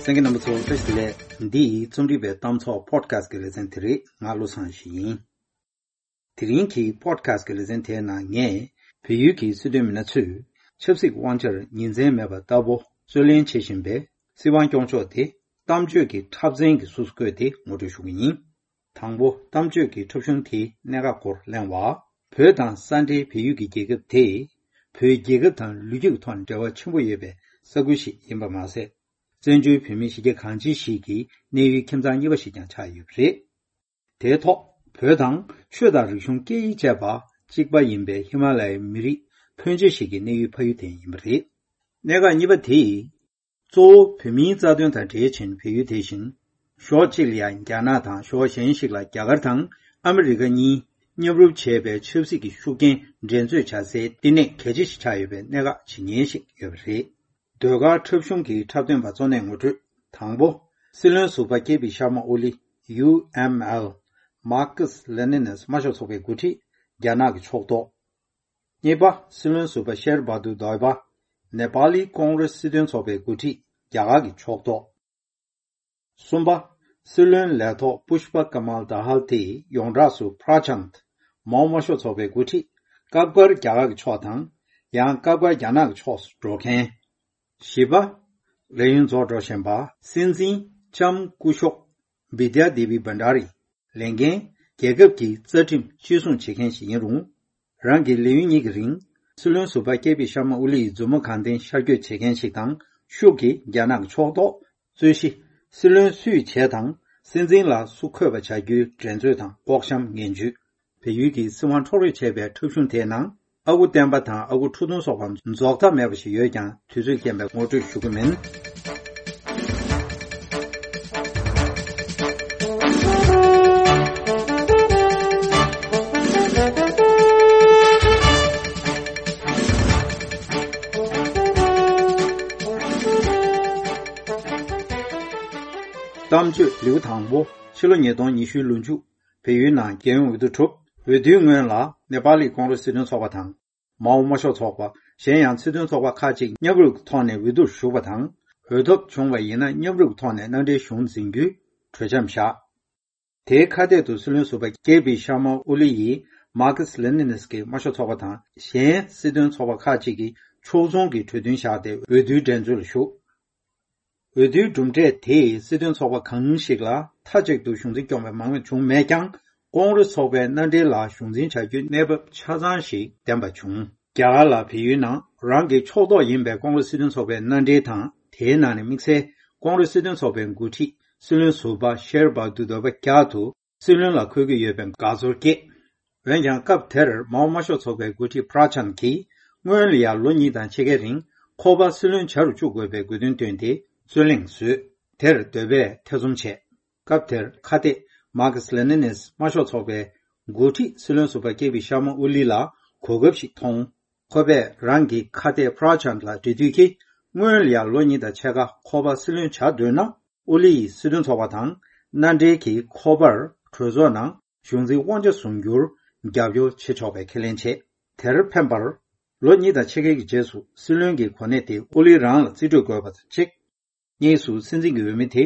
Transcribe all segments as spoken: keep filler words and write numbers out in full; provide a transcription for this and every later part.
གསན་མཁན་རྣམ་པ་ཚོ་བཀྲ་ཤིས་བདེ་ལེགས། འདི་རྩོམ་སྒྲིག་པའི་གཏམ་ཚོགས་པོ་ཌི་ཁ་སི་ཊི་གི་ལེ་ཚན་དེ་རེད། ང་བློ་བཟང་ཡེ་ཤེས་ཡིན། དེ་རིང་གི་པོ་ཌི་ཁ་སི་ཊི་གི་ལེ་ཚན་དེའི་ནང་ངས་བལ་ཡུལ་གྱི་སྲིད་དོན་མི་སྣ་ཚོས་ཆབ་སྲིད་དབང་ཆར་ཉིན་མཚན་མེད་པར་ལྟ་བུ་རྩོད་ལེན་བྱེད་བཞིན་པའི་སྲིད་དབང་སྐྱོང་ཕྱོགས་དེ་གཏམ་བརྗོད་ཀྱི་འཁྲབ་ཚན་གྱི་གཟུགས་སུ་བཀོད་དེ་ངོ་སྤྲོད་ཞུ་གི་ཡིན། དང་པོ། གཏམ་བརྗོད་ཀྱི་འཁྲབ་གཞུང་དེའི་གནད་འགག་སྐོར་གླེང་བ། བོད་དང་ས་འབྲེལ་བལ་ཡུལ་གྱི་རྒྱལ་ཁབ་དེ་བོད་རྒྱལ་ཁབ་དང་ལོ་རྒྱུས་ཀྱི་ཐོག་ནས་འབྲེལ་བ་ཆེན་པོ་ཡོད་པའི་ས་ཁུལ་ཞིག་ཡིན་པ་མ་ཟད། བཙན་བྱོལ་བོད་མིའི་གཞིས་ཆགས་གང་ཅི་ཞིག་གི་གནས་ཡུལ་ཁྱིམ་ཚང་གཉིས་པ་ཞིག་ཀྱང་ཆགས་ཡོད་པ་རེད། དེའི་ཐོག་བོད་དང་ཆོས་དང་རིག་གཞུང་སྐད་ཡིག་བཅས་པ་གཅིག་པ་ཡིན་པའི་ཧི་མ་ལ་ཡའི་མི་རིགས་ཕོན་ཆེ་ཞིག་གི་གནས་ཡུལ་ཕ་ཡུལ་དེ་ཡིན་པ་རེད། གནད་འགག་གཉིས་པ་དེ། གཙོ་བོ་བོད་མིའི་རྩ་དོན་དང་འབྲེལ་ཕྱིན་བལ་ཡུལ་དེ་བཞིན། ཕྱོགས་གཅིག་ལ་ཡང་རྒྱ་ནག་དང་ཕྱོགས་གཞན་ཞིག་ལ་རྒྱ་གར་དང་ཨ་མི་རི་ཀ་གཉིས་མཉམ་རུབ་བྱས་པའི་ཆབ་སྲིད་ཀྱི་ཤུགས་རྐྱེན་འགྲན་རྩོད་བྱ་སའི་བསྟི་གནས་གལ་ཆེ་ཞིག་ཆགས་ཡོད་པའི་གནད་འགག་ཇི་སྙེད་ཞིག་ཡོད་པ་རེད། ཟློས་གར་འཁྲབ་གཞུང་གི་འཁྲབ་སྟོན་པ་གཙོ་གནད་ངོ་སྤྲོད། དང་པོ། སྲིད་བློན་ཟུར་པ་ཀེ་པི་ཤར་མ་ཨོ་ལི། ཡུ་ཨེམ་ཨེལ། མར་ཁེ་སི་ལེ་ནིན་དམར་ཤོག་ཚོགས་པའི་འགོ་ཁྲིད། རྒྱ་ནག་གི་ཕྱོགས་གཏོགས། གཉིས་པ། སྲིད་བློན་ཟུར་པ་ཤེར་བྷ་དུར་དོ་བྷ། ནེ་པ་ལི་ཀོང་རེ་སི་སྲིད་དོན་ཚོགས་པའི་འགོ་ཁྲིད། རྒྱ་གར་གྱི་ཕྱོགས་གཏོགས། གསུམ་པ། སྲིད་བློན་ལས་ཐོག་པུཤ་པ་ཀ་མལ་དཱ་ཧལ་དེ་ཡོངས་གྲགས་སུ་པྲ་ཆན། མའོ་དམར་ཤོག་ཚོགས་པའི་འགོ་ཁྲིད། སྐབས་འགར་རྒྱ་གར་གྱི་ཕྱོགས་དང་། ཡང་སྐབས་འགར་རྒྱ་ནག་གི་ཕྱོགས་སུ་འགྲོ་མཁན། བཞི་པ། ལས་ཡུན་རྫོགས་འགྲོ་བཞིན་པ་སྲིད་འཛིན་ལྕམ་སྐུ་ཞབས་བི་དྱ་དེ་བི་བྷན་ཌ་རི། ལས་འགན། རྒྱལ་ཁབ་ཀྱི་རྩ་ཁྲིམས་གཅེས་སྲུང་བྱེད་མཁན་ཞིག་ཡིན་རུང་། རང་གི་ལས་ཡུན་གཉིས་ཀྱི་རིང་། སྲིད་བློན་ཟུར་པ་ཀེ་པི་ཤར་མ་ཨོ་ལི་ཡི་མཛུབ་མོ་གང་བསྟན་ཤར་བསྐྱོད་བྱེད་མཁན་ཞིག་དང་ཤུགས་ཀྱིས་རྒྱ་ནག་གི་ཕྱོགས་གཏོགས། རྩོད་གཞི། སྲིད་བློན་སུས་བྱས་དང་སྲིད་འཛིན་ལ་སུ་འཁོད་པ་བྱ་རྒྱུའི་འགྲན་རྩོད་དང་ལྐོག་བཤམས་ངན་ཇུས། བལ་ཡུལ་གྱི་སྲིད་དབང་འཕྲོག་རེས་བྱས་པའི་འཁྲབ་གཞུང་དེའི་ནང་ཨ་ཁུ་བསྟན་པ་དང་ཨ་ཁུ་ཁྲོ་ཐུང་སོགས་པ་རྫོགས་མཐའ་མེད་པ་ཞིག་ཡོད་ཀྱང་དུས་ཚོད་རྐྱེན་པས་ངོ་སྤྲོད་ཞུ་གི་མིན། གཏམ་བརྗོད་ལེའུ་དང་པོ། ཕྱི་ལོ་ཉིས་སྟོང་ཉི་ཤུའི་ལོ་མཇུག་བལ་ཡུལ་ནང་རྒྱལ་ཡོངས་འོས་བསྡུ་གྲུབ། འོས་བསྡུའི་སྔོན་ལ་ནེ་པ་ལི་ཀོང་རེ་སྲིད་དོན་ཚོགས་པ་དང་། མའོ་དམར་ཤོག་ཚོགས་པ། གཞན་ཡང་སྲིད་དོན་ཚོགས་པ་ཁག་ཅིག་མཉམ་རུབ་ཀྱི་ཐོག་ནས་འོས་བསྡུར་ཞུགས་པ་དང་། འོས་ཐོབ་བྱུང་བ་ཡིན་ན་མཉམ་རུབ་ཀྱི་ཐོག་ནས་མནའ་འབྲེལ་གཞུང་འཛིན་རྒྱུའི་གྲོས་འཆམ་བཞག་དེའི་ཁ་གཏད་དུ་སྲིད་བློན་ཟུར་པ་ཀེ་པི་ཤར་མ་ཨོ་ལི་ཡིས་མར་ཁེ་སི་ལེ་ནིན་གྱི་དམར་ཤོག་ཚོགས་པ་དང་གཞན་སྲིད་དོན་ཚོགས་པ་ཁག་ཅིག་གིས་ཕྱོགས་མཚུངས་ཀྱི་གྲོས་མཐུན་བཞག་སྟེ་འོས་བསྡུའི་འགྲན་རྩོད་ལ་ཞུགས། འོས་བསྡུའི་གྲུབ་འབྲས་དེས་སྲིད་དོན་ཚོགས་པ་གང་ཞིག་ལ་མཐའ་གཅིག་ཏུ་གཞུང་འཛིན་སྐྱོང་བའི་མང་མོས་བྱུང་མེད་ཀྱང་། ཀོང་རེས་ཚོགས་པའི་མནའ་འབྲེལ་ལ་གཞུང་འཛིན་བྱ་རྒྱུའི་གནས་བབ་ཆ་ཚང་ཞིག་ལྡན་པ་བྱུང་། རྒྱ་གར་ལ་བལ་ཡུལ་ནང་རང་གི་ཕྱོགས་གཏོགས་ཡིན་པའི་ཀོང་རེས་སྲིད་དོན་ཚོགས་པའི་མནའ་འབྲེལ་དང་། དེའི་ནང་ནས་དམིགས་བསལ་ཀོང་རེས་སྲིད་དོན་ཚོགས་པའི་འགོ་ཁྲིད་སྲིད་བློན་ཟུར་པ་ཤེར་བྷ་དུར་དོ་བྷ་བསྐྱར་དུ་སྲིད་བློན་ལ་འཁོད་ཀྱི་ཡོད་པའི་དགའ་ཚོར་སྐྱེས། འོན་ཀྱང་སྐབས་དེར་མའོ་དམར་ཤོག་ཚོགས་པའི་འགོ་ཁྲིད་པྲ་ཆན་གྱིས་སྔོན་ལ་ཡང་ལོ་གཉིས་དང་ཕྱེད་ཀའི་རིང་ཁོ་པ་སྲིད་བློན་བྱ་རུ་བཅུག་དགོས་པའི་དགོས་འདུན་བཏོན་ཏེ་རྩོད་གླེང་བཟོས། དེར་དོ་བྷས་ཐེ་ཚོམ་བྱས། སྐབས་དེར་ཁ་གཏད་མར་ཁེ་སི་ལེ་ནིན་དམར་ཤོག་ཚོགས་པའི་འགོ་ཁྲིད་སྲིད་བློན་ཟུར་པ་ཀེ་པི་ཤར་མ་ཨོ་ལི་ལ་གོ་སྐབས་ཤིག་མཐོང་། ཁོ་པས་རང་གི་ཁ་གཏད་པྲ་ཆན་ལ་འབྲེལ་མཐུད་ཀྱིས་སྔོན་ལ་ཡང་ལོ་གཉིས་དང་ཕྱེད་ཀ་ཁོ་པ་སྲིད་བློན་བྱ་འདོད་ན། ཨོ་ལི་ཡིས་སྲིད་དོན་ཚོགས་པ་དང་མནའ་འབྲེལ་གྱིས་ཁོ་པར་གྲོས་ཚོགས་ནང་གཞུང་འཛིན་དབང་ཆ་བཟུང་རྒྱུར་རྒྱབ་སྐྱོར་བྱེད་ཆོག་པའི་ཁས་ལེན་བྱས། དེར་ཕན་པར། ལོ་གཉིས་དང་ཕྱེད་ཀའི་རྗེས་སུ་སྲིད་བློན་གྱི་གོ་གནས་དེ་ཨོ་ལི་རང་ལ་རྩིས་སྤྲོད་དགོས་པ་དང་གཅིག་གཉིས་སུ་སྲིད་འཛིན་གྱི་འོས་མི་དེ་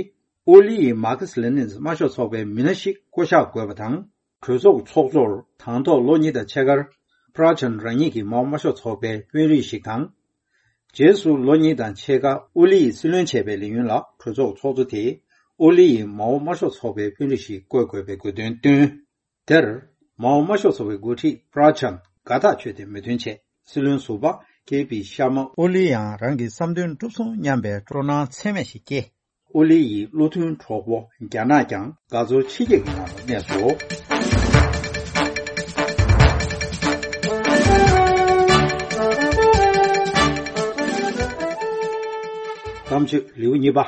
ཨོ་ལི་ཡིས་མར་ཁེ་སི་ལེ་ནིན་དམར་ཤོག་ཚོགས་པའི་མི་སྣ་ཞིག་བསྐོ་གཞག་དགོས་པ་དང་། གྲོས་ཚོགས་ཚོགས་གཙོར་དང་ཐོག་ལོ་གཉིས་དང་ཕྱེད་ཀར་པྲ་ཆན་རང་ཉིད་ཀྱིས་མའོ་དམར་ཤོག་ཚོགས་པའི་དཔོན་རིགས་ཤིག་དང་། རྗེས་སུ་ལོ་གཉིས་དང་ཕྱེད་ཀ་ཨོ་ལི་ཡིས་སྲིད་བློན་བྱས་པའི་ལས་ཡུན་ལ་གྲོས་ཚོགས་ཚོགས་གཙོ་དེས་ཨོ་ལི་ཡིས་མའོ་དམར་ཤོག་ཚོགས་པའི་དཔོན་རིགས་ཤིག་བསྐོ་དགོས་པའི་དགོས་འདུན་བཏོན། དེར་མའོ་དམར་ཤོག་ཚོགས་པའི་འགོ་ཁྲིད་པྲ་ཆན་དགའ་ཐག་ཆོད་དེ་མོས་མཐུན་བྱས། སྲིད་བློན་ཟུར་པ་ཀེ་པི་ཤར་མ་ཨོ་ལི་ཡང་རང་གི་བསམ་དོན་འགྲུབ་སོང་སྙམ་པའི་སྤྲོ་སྣང་ཚད་མེད་ཞིག་སྐྱེས། ཨོ་ལི་ཡི་བློ་མཐུན་གྲོགས་པོ་རྒྱ་ནག་ཀྱང་དགའ་ཚོར་ཆེ་སྐྱེད་ཀྱི་ངང་དུ་གནས་སོ། གཏམ་བརྗོད་ལེའུ་གཉིས་པ།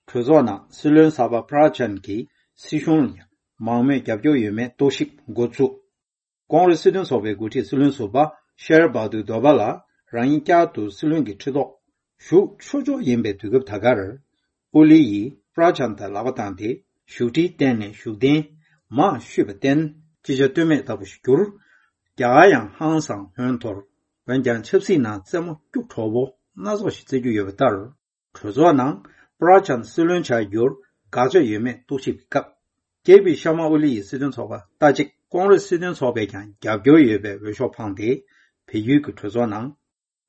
གྲོས་ཚོགས་ནང་སྲིད་བློན་གསར་པ་པྲ་ཆན་གྱིས་སྲིད་གཞུང་ལ་མང་མོས་རྒྱབ་སྐྱོར་ཡོད་མེད་རྟོག་ཞིབ་འགོ་བཙུགས། ཀོང་རེས་སྲིད་དོན་ཚོགས་པའི་འགོ་ཁྲིད་སྲིད་བློན་ཟུར་པ་ཤེར་བྷ་དུར་དོ་བྷ་ལ་རང་ཉིད་བསྐྱར་དུ་སྲིད་བློན་གྱི་ཁྲི་ཐོག་བཞུགས་ཆོག་ཆོག་ཡིན་པའི་དུས་སྐབས་ད་གར། ཨོ་ལི་ཡིས་པྲ་ཆན་དང་ལག་པ་བཏང་སྟེ་བཞུགས་ཁྲིའི་སྟེང་ནས་བཞུགས་གདན་མར་བཤུས་པར་བརྟེན། ཅི་བྱ་གཏོལ་མེད་ལྟ་བུ་ཞིག་གྱུར། རྒྱ་གར་ཡང་ཧང་སང་ཧོན་འཐོར། འོན་ཀྱང་ཆབ་སྲིད་ནང་རྩེད་མོ་སྐྱུག་བྲོ་བོ་སྣ་ཚོགས་ཤིག་རྩེ་རྒྱུ་ཡོད་པ་ལྟར། གྲོས་ཚོགས་ནང་ པྲ་ཅན་སྲིད་བློན་བྱ་རྒྱུར་དགག་བྱ་ཡོད་མེད་རྟོག་ཞིབ་ཀྱི་སྐབས། ཀེ་པི་ཤར་མ་ཨོ་ལི་ཡི་སྲིད་དོན་ཚོགས་པ་ལྟ་ཅིག་ཀོང་རེས་སྲིད་དོན་ཚོགས་པས་ཀྱང་རྒྱབ་སྐྱོར་ཡོད་པའི་འོས་ཤོག་འཕངས་ཏེ། བལ་ཡུལ་གྱི་གྲོས་ཚོགས་ནང་།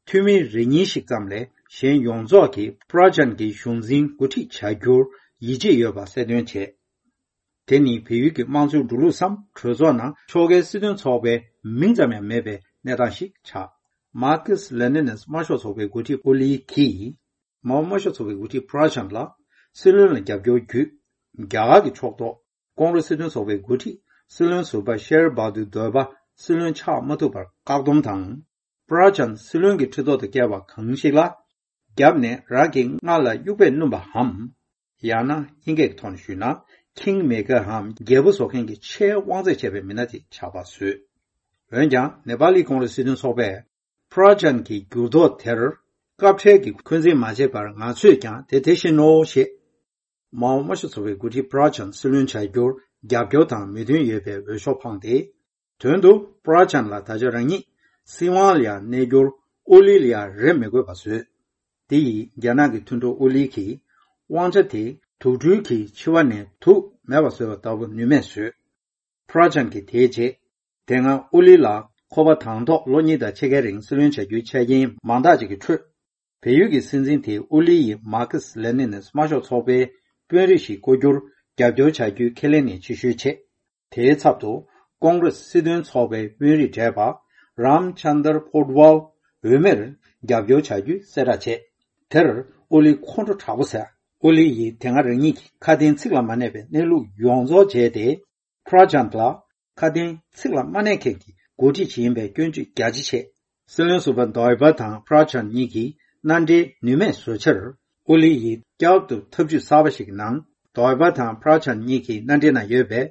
འཐུས་མི་རེ་གཉིས་ཤིག་ཙམ་ལས་གཞན་ཡོངས་རྫོགས་ཀྱིས་པྲ་ཅན་གྱི་གཞུང་འཛིན་འགོ་ཁྲིད་བྱ་རྒྱུར་ཡིད་ཆེས་ཡོད་པ་གསལ་སྟོན་བྱས། དེ་ནི་བལ་ཡུལ་གྱི་དམངས་གཙོའི་འགྲོ་ལུགས་སམ། གྲོས་ཚོགས་ནང་ཕྱོགས་འགལ་སྲིད་དོན་ཚོགས་པའི་མིང་ཙམ་ཡང་མེད་པའི་གནས་སྟངས་ཤིག་ཆགས། མར་ཁེ་སི་ལེ་ནིན་དམར་ཤོག་ཚོགས་པའི་འགོ་ཁྲིད་ཨོ་ལི་གིས། མའོ་དམར་ཤོག་ཚོགས་པའི་འགོ་ཁྲིད་པྲ་ཅན་ལ་སྲིད་བློན་ལ་རྒྱབ་སྐྱོར་བརྒྱུད། རྒྱ་གར་གྱི་ཕྱོགས་གཏོགས་ཀོང་རེས་སྲིད་དོན་ཚོགས་པའི་འགོ་ཁྲིད་སྲིད་བློན་ཟུར་པ་ཤེར་བྷ་དུར་དོལ་པ་སྲིད་བློན་ཆགས་མ་ཐུབ་པར་བཀག་སྡོམ་དང་། པྲ་ཅན་སྲིད་བློན་གྱི་ཁྲི་ཐོག་ཏུ་བསྐྱལ་བ་གང་ཞིག་ལ། རྒྱབ་ནས་རང་གི་རྔ་ལ་དབྱུག་པས་བསྣུན་པའམ། ཡང་ན་དབྱིན་སྐད་ཀྱི་ཐོག་ནས་ཞུས་ན། ཁིང་མེ་ཀར་འམ་རྒྱལ་པོ་བཟོ་མཁན་གྱི་ཆེས་དབང་ཚད་ཆེ་བའི་མི་སྣ་དེ་ཆགས་པ་བཟོས། འོན་ཀྱང་ནེ་པ་ལི་ཀོང་རེས་སྲིད་དོན་ཚོགས་པས། པྲ་ཅན་གྱི་འགྱུར་ལྡོག་དེར་སྐབས་འཕྲལ་གྱི་འཁོན་འཛིན་མ་བྱས་པར་ང་ཚོས་ཀྱང་དེ་དེ་བཞིན་ནོ་ཞེས། མའོ་དམར་ཤོག་ཚོགས་པའི་འགོ་ཁྲིད་པྲ་ཅན་སྲིད་བློན་བྱ་རྒྱུར་རྒྱབ་སྐྱོར་དང་མོས་མཐུན་ཡོད་པའི་འོས་ཤོག་འཕངས་ཏེ། དོན་དུ་པྲ་ཅན་ལ་ད་ཆ་རང་ཉིད་སྲིད་དབང་ལ་ཡང་གནས་རྒྱུར་ཨོ་ལི་ལ་ཡང་རེ་མི་དགོས་པ་བཟོས། དེ་ཡིས་རྒྱ་ནག་གི་མཐུན་གྲོགས་ཨོ་ལི་གིས་དབང་ཆ་དེ་དུག་སྦྲུལ་གྱི་མཆེ་བ་ནས་དུག་མེད་པ་བཟོས་པ་ལྟ་བུ་ནུས་མེད་བཟོས། པྲ་ཅན་གྱིས་དེའི་རྗེས། དེ་སྔ་ཨོ་ལི་ལ་ཁོ་པ་དང་ཐོག་ལོ་གཉིས་དང་ཕྱེད་ཀའི་རིང་སྲིད་བློན་བྱ་རྒྱུའི་ཆ་རྐྱེན་མང་དག་ཅིག་གི་ཁྲོད། བལ་ཡུལ་གྱི་སྲིད་འཛིན་དེས་ཨོ་ལི་ཡིས་མར་ཁེ་སི་ལེ་ནིན་དམར་ཤོག་ཚོགས་པའི་དཔོན་རིགས་ཤིག་བསྐོ་རྒྱུར་རྒྱབ་སྐྱོར་བྱ་རྒྱུའི་ཁས་ལེན་ནས་ཕྱིར་བཤོལ་བྱས། དེའི་ཚབ་ཏུ་ཀོང་རེས་སྲིད་དོན་ཚོགས་པའི་དཔོན་རིགས་བགྲེས་པ་རམ་ཆན་དར་པོ་ཏི་ཝལ་འོས་མིར་རྒྱབ་སྐྱོར་བྱ་རྒྱུའི་གསལ་བསྒྲགས་བྱས། དེར་ཨོ་ལི་ཁོང་ཁྲོ་དྲག་པོ་ཟ། ཨོ་ལི་ཡིས་དེ་སྔ་རང་ཉིད་ཀྱི་ཁ་དན་ཚིག་ལ་མ་གནས་པའི་གནས་ལུགས་ཡོངས་རྫོགས་བརྗེད་དེ། པྲ་ཅན་ལ་ཁ་དན་ཚིག་ལ་མ་གནས་མཁན་གྱི་འགོ་ཁྲིད་ཅིག་ཡིན་པའི་སྐྱོན་བརྗོད་རྒྱ་ཆེ་བྱས། སྲིད་བློན་ཟུར་པ་དོལ་པ་དང་པྲ་ཅན་གཉིས་ཀྱིས་མནའ་འབྲེལ་ནུས་མེད་བཟོས་ཕྱིར། ཨོ་ལི་ཡིས་བསྐྱར་དུ་ཐབས་ཇུས་གསར་པ་ཞིག་གི་ནང་། དོལ་པ་དང་པྲ་ཅན་གཉིས་ཀྱི་མནའ་འབྲེལ་ནང་ཡོད་པའི་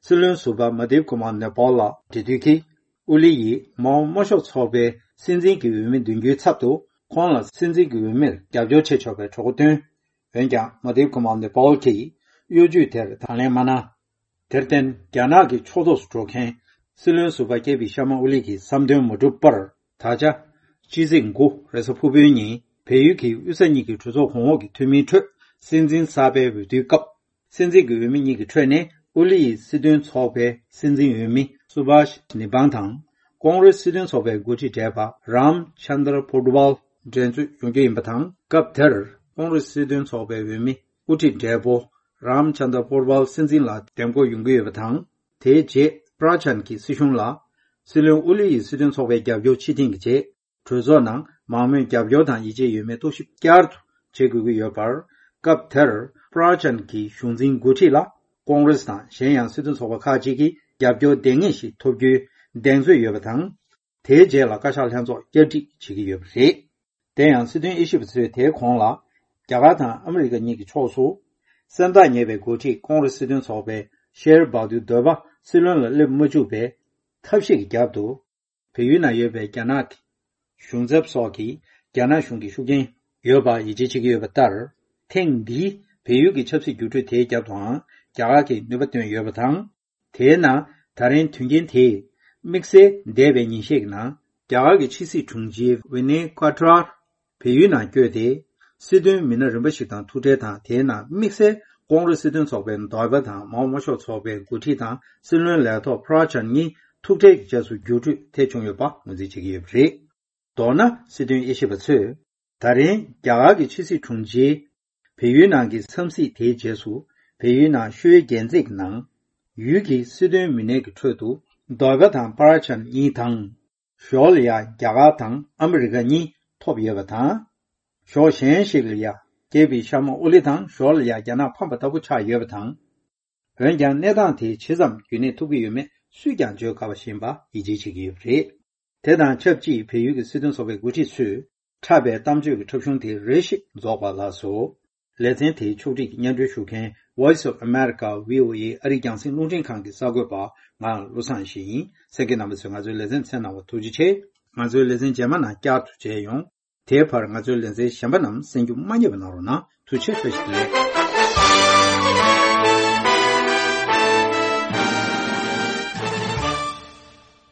སྲིད་བློན་ཟུར་པ་མ་དིབ་ཀུ་མར་ནེ་པོལ་ལ་འབྲེལ་མཐུད་ཀྱིས། ཨོ་ལི་ཡིས་མའོ་དམར་ཤོག་ཚོགས་པའི་སྲིད་འཛིན་གྱི་འོས་མི་འདོན་རྒྱུའི་ཚབ་ཏུ་ཁོང་ལ་སྲིད་འཛིན་གྱི་འོས་མིར་རྒྱབ་སྐྱོར་བྱེད་ཆོག་པའི་གྲོས་འགོ་བཏོན། འོན་ཀྱང་མ་དིབ་ཀུ་མར་ནེ་པོལ་གྱིས་གཡོ་ཇུས་དེར་དང་ལེན་མ་གནང་། དེར་བརྟེན་རྒྱ་ནག་གི་ཕྱོགས་གཏོགས་སུ་འགྲོ་མཁན་སྲིད་བློན་ཟུར་པ་ཀེ་པི་ཤར་མ་ཨོ་ལི་གི་བསམ་དོན་མ་འགྲུབ་པར། ད་ཆ་སྤྱི་ཚེས་དགུ་རེས་གཟའ་ཕུར་བུའི་ཉིན་བལ་ཡུལ་གྱི་དབུས་ས་གཉིས་ཀྱི་གྲོས་ཚོགས་གོང་འོག་གི་འཐུས་མིའི་ཁྲོད་སྲིད་འཛིན་གསར་པའི་འོས་བསྡུའི་སྐབས། སྲིད་འཛིན་གྱི་འོས་མི་གཉིས་ཀྱི་ཁྲོད་ནས་ཨོ་ལི་ཡི་སྲིད་དོན་ཚོགས་པའི་སྲིད་འཛིན་འོས་མི་སུ་བྷ་ཤ་ནི་བང་དང་། ཀོང་རེས་སྲིད་དོན་ཚོགས་པའི་འགོ་ཁྲིད་བགྲེས་པ་རམ་ཆན་དར་པོ་ཏི་ཝལ་འགྲན་རྩོད་ཡོང་རྒྱུ་ཡིན་པ་དང་། སྐབས་དེར་ཀོང་རེས་སྲིད་དོན་ཚོགས་པའི་འོས་མི་དབུ་ཁྲིད་བགྲེས་པོ་རམ་ཆན་དར་པོ་ཏི་ཝལ་སྲིད་འཛིན་ལ་འདེམས་བསྐོ་ཡོང་གི་ཡོད་པ་དང་། དེའི་རྗེས་པྲ་ཅན་གྱིས་སྲིད་གཞུང་ལ་སྲིད་བློན་ཨོ་ལི་ཡི་སྲིད་དོན་ཚོགས་པའི་རྒྱབ་སྐྱོར་ཕྱིར་འཐེན་གྱི་རྗེས། གྲོས་ཚོགས་ནང་མང་མོས་རྒྱབ་སྐྱོར་དང་ཡིད་ཆེས་ཡོད་མེད་རྟོག་ཞིབ་བསྐྱར་དུ་བྱེད་དགོས་ཀྱི་ཡོད་པར། སྐབས་དེར་པྲ་ཅན་གྱི་གཞུང་འཛིན་འགོ་ཁྲིད་ལ་ཀོང་རེས་དང་གཞན་ཡང་སྲིད་དོན་ཚོགས་པ་ཁག་ཅིག་གིས་རྒྱབ་སྐྱོར་ལྡང་ངེས་ཤིག་ཐོབ་རྒྱུའི་གདེང་ཚོད་ཡོད་པ་དང་། དེའི་རྗེས་ལ་བཀའ་ཤག་ལྷན་ཚོགས་བསྐྱར་སྒྲིག་བྱེད་ཀྱི་ཡོད་པ་རེད། དེ་ཡང་སྲིད་དོན་དབྱེ་ཞིབ་པ་ཚོས་དེའི་གོང་ལ། རྒྱ་གར་དང་ཨ་མི་རི་ཀ་གཉིས་ཀྱི་ཕྱོགས་སུ། སེམས་ཐག་ཉེ་བའི་འགོ་ཁྲིད་ཀོང་རེས་སྲིད་དོན་ཚོགས་པའི་ཤེར་བྷ་དུར་དོལ་པ་སྲིད་བློན་ལ་སླེབས་མ་བཅུག་པའི་ཐབས་ཤེས་ཀྱི་རྒྱབ་ཏུ། བལ་ཡུལ་ནང་ཡོད་པའི་རྒྱ་ནག་གི་གཞུང་ཚབ་སོགས་ཀྱིས་རྒྱ་ནག་གཞུང་གི་ཤུགས་རྐྱེན་ཡོད་པ་ཡིད་ཆེས་བྱེད་ཀྱི་ཡོད་པ་ལྟར། ཐེངས་འདིའི་བལ་ཡུལ་གྱི་ཆབ་སྲིད་འགྱུར་འགྲོས་དེའི་རྒྱབ་ཏུའང་རྒྱ་གར་གྱིས་ནུས་པ་བཏོན་ཡོད་པ་དང་། དེས་ན་ད་རིང་དོན་རྐྱེན་དེས་དམིགས་བསལ་འདས་པའི་ཉིན་ཤས་ཀྱི་ནང་རྒྱ་གར་གྱི་ཕྱི་སྲིད་དྲུང་ཆེ་ཝི་ནེ་ཀ་ཏྲར་བལ་ཡུལ་ནང་བསྐྱོད་དེ། སྲིད་དོན་མི་སྣ་རིམ་པ་ཞིག་དང་ཐུག་འཕྲད་དང་། དེའི་ནང་དམིགས་བསལ་ཀོང་རེས་སྲིད་དོན་ཚོགས་པའི་ཟུར་པ་དང་མའོ་དམར་ཤོག་ཚོགས་པའི་འགོ་ཁྲིད་དང་སྲིད་བློན་ལས་ཐོག་པྲ་ཅན་གཉིས་ཐུག་འཕྲད་ཀྱི་རྗེས་སུ་འགྱུར་འགྲོས་ཐེབས་བྱུང་ཡོད་པ་ངོས་འཛིན་བྱེད་ཀྱི་ཡོད་པ་རེད། མདོར་ན་སྲིད་དོན་དབྱེ་ཞིབ་པ་ཚོས། ད་རིང་རྒྱ་གར་གྱི་ཕྱི་སྲིད་དྲུང་ཆེས་བལ་ཡུལ་ནང་གི་འཚམས་གཟིགས་དེའི་རྗེས་སུ། བལ་ཡུལ་ནང་ཤོའི་རྒྱལ་རྩེད་ཀྱི་ནང་ཡུལ་གྱི་སྲིད་དོན་མི་སྣའི་གི་ཁྲོད་དུ་ཟུར་པ་དང་པྲ་ཅན་གཉིས་དང་། ཞོར་ལ་ཡ་རྒྱ་གར་དང་ཨ་མི་རི་ཀ་གཉིས་ཐོབ་ཡོད་པ་དང་། ཕྱོགས་གཞན་ཞིག་ལ་ཡ་ཀེ་པི་ཤར་མ་ཨོ་ལི་དང་ཞོར་ལ་ཡ་རྒྱ་ནག་ཕམ་པ་ལྟ་བུ་ཆགས་ཡོད་པ་དང་། འོན་ཀྱང་གནས་སྟངས་དེ་ཇི་ཙམ་རྒྱུན་གནས་ཐུབ་ཀྱི་ཡོད་མེད་སུས་ཀྱང་བརྗོད་དཀའ་བ་ཞིག་ཡིན་པ་ཡིད་ཆེས་བྱེད་ཀྱི་ཡོད་པ་རེད། དེ་དང་ཆབས་ཅིག་བལ་ཡུལ་གྱི་སྲིད་དོན་ཚོགས་པའི་འགོ་ཁྲིད་ཚོས་འཁྲབ་པའི་གཏམ་བརྗོད་ཀྱི་འཁྲབ་གཞུང་དེ་རེ་ཞིག་རྫོགས་པ་ལགས་སོ། ལེ་ཚན་དེའི་ཕྱོགས་སྒྲིག་གི་སྙན་སྒྲོན་ཞུ་མཁན་Voice of America V O A ཨ་རིའི་རྒྱང་སྲིང་རླུང་འཕྲིན་ཁང་གི་གསར་འགོད་པ་ང་བློ་བཟང་ཡེ་ཤེས་ཡིན། གསན་མཁན་རྣམ་པ་ཚོས་ང་ཚོའི་ལེ་ཚན་གསན་གནང་བར་ཐུགས་རྗེ་ཆེ། ང་ཚོའི་ལེ་ཚན་རྗེས་མ་ནང་བསྐྱར་དུ་མཇལ་ཡོང་། དེའི་བར་ང་ཚོའི་ལེ་ཚན་གཞན་པ་རྣམས་གསན་རྒྱུ་མ་བསྙེལ་བ་གནང་རོགས་གནང་། ཐུགས་རྗེ་ཆེ། བཀྲ་ཤིས་བདེ་ལེགས།